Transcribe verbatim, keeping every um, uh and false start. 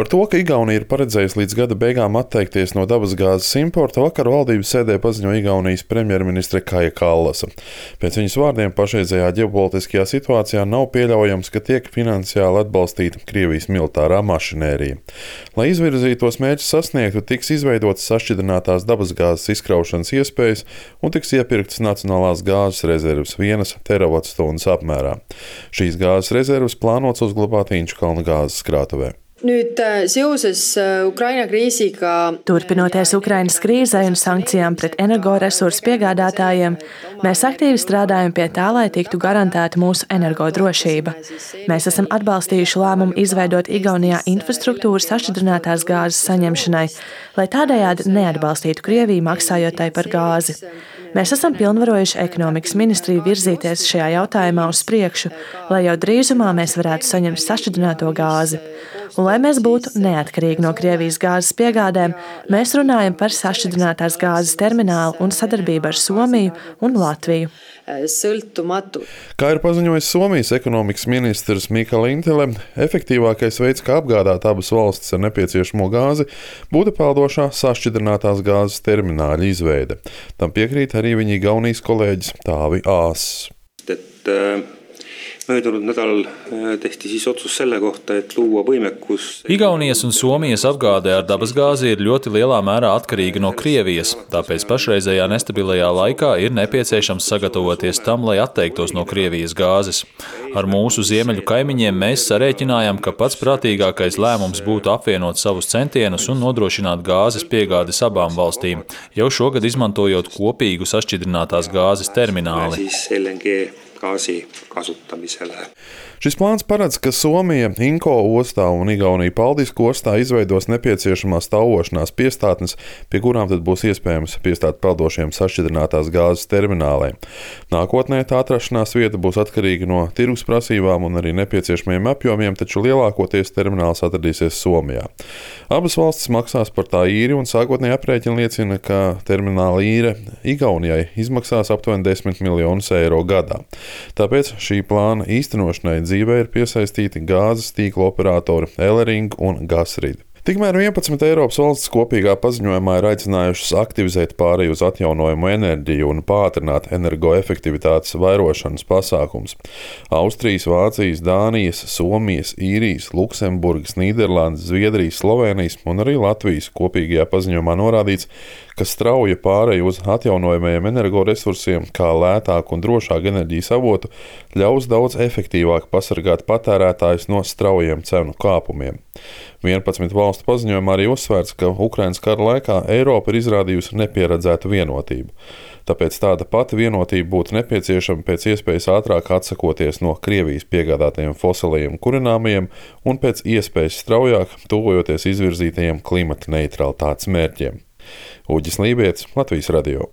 Par to, ka Igaunija ir paredzējusi līdz gada beigām atteikties no dabasgāzes importa, vakar valdības sēdē paziņoja Igaunijas premjerministre Kaja Kallasa. Pēc viņas vārdiem pašreizējā ģeopolitiskajā situācijā nav pieļaujams, ka tiek finansiāli atbalstīta Krievijas militārā mašinērija. Lai izvirzītos mērķus sasniegtu, tiks izveidotas sašķidrinātās dabasgāzes izkraušanas iespējas un tiks iepirktas nacionālās gāzes rezerves vienas teravatstundas apmērā. Šīs gāzes rezerves plānots uzglabāt Inčukalna gāzes krātuvē. Nüüd seoses Ukraina kriisiga. Turpinoties Ukrainas krīzei un sankcijām pret energoresursu piegādātājiem, mēs aktīvi strādājam pie tā, lai tiktu garantēta mūsu energodrošība. Mēs esam atbalstījuši lēmumu izveidot Igaunijā infrastruktūru sašķidrinātās gāzes saņemšanai, lai tādējādi neatbalstītu Krieviju maksājot tai par gāzi. Mēs esam pilnvarojuši ekonomikas ministriju virzīties šajā jautājumā uz priekšu, lai jau drīzumā mēs varētu saņemt sašķidrināto gāzi. Un, lai mēs būtu neatkarīgi no Krievijas gāzes piegādēm, mēs runājam par sašķidrinātās gāzes terminālu un sadarbību ar Somiju un Latviju. Sõltumatu. Kā ir paziņojis Somijas ekonomikas ministrs Mika Lintele, efektīvākais veids, kā apgādāt abas valstis ar nepieciešamo gāzi, būtu peldošā sašķidrinātās gāzes termināļa izveide. Tam piekrīt arī viņa Igaunijas kolēģis Taavi Aas. Möödunud nädalal tehti siis otsus selle kohta, et luua võimekus. Igaunijas un Somijas apgāde ar dabasgāzi ir ļoti lielā mērā atkarīga no Krievijas, tāpēc pašreizējā nestabilajā laikā ir nepieciešams sagatavoties tam, lai atteiktos no Krievijas gāzes. Ar mūsu ziemeļu kaimiņiem mēs sarēķinājām, ka pats prātīgākais lēmums būtu apvienot savus centienus un nodrošināt gāzes piegādes abām valstīm, jau šogad izmantojot kopīgu sašķidrinātās gāzes termināli. Gaasi kasutamisele. Šis plāns paredz, ka Somija Inko ostā un Igaunija Paldiska ostā izveidos nepieciešamās stāvošanās piestātnes, pie kurām tad būs iespējams piestāt peldošiem sašķidrinātās gāzes termināliem. Nākotnē tā atrašanās vieta būs atkarīga no tirgus prasībām un arī nepieciešamajiem apjomiem, taču lielākoties termināls atradīsies Somijā. Abas valstis maksās par tā īri un sākotnēji aprēķini liecina, ka termināla īre Igaunijai izmaksās aptuveni desmit miljonus eiro gadā. Tāpēc šī plāna īstenošanai dzīvē ir piesaistīti gāzes tīkla operatori Elering un Gasrid. Tikmēr vienpadsmit Eiropas valstis kopīgā paziņojumā ir aicinājušas aktivizēt pāreju uz atjaunojamu enerģiju un pātrināt energoefektivitātes vairošanas pasākums. Austrijas, Vācijas, Dānijas, Somijas, Īrijas, Luksemburgas, Nīderlandes, Zviedrijas, Slovēnijas un arī Latvijas kopīgajā paziņojumā norādīts, ka strauja pāreja uz atjaunojamajiem energoresursiem, kā lētāku un drošāku enerģijas avotu, ļaus daudz efektīvāk pasargāt patērētājus no straujiem cenu kāpumiem. vienpadsmit valstu paziņojumā arī uzsvērts, ka Ukrainas kara laikā Eiropa ir izrādījusi nepieredzētu vienotību. Tāpēc tāda pati vienotība būtu nepieciešama pēc iespējas ātrāk atsakoties no Krievijas piegādātajiem fosilajiem kurināmajiem un pēc iespējas straujāk tuvojoties izvirzītajiem klimata neutralitātes mērķiem. Uģis Lībietis, Latvijas radio.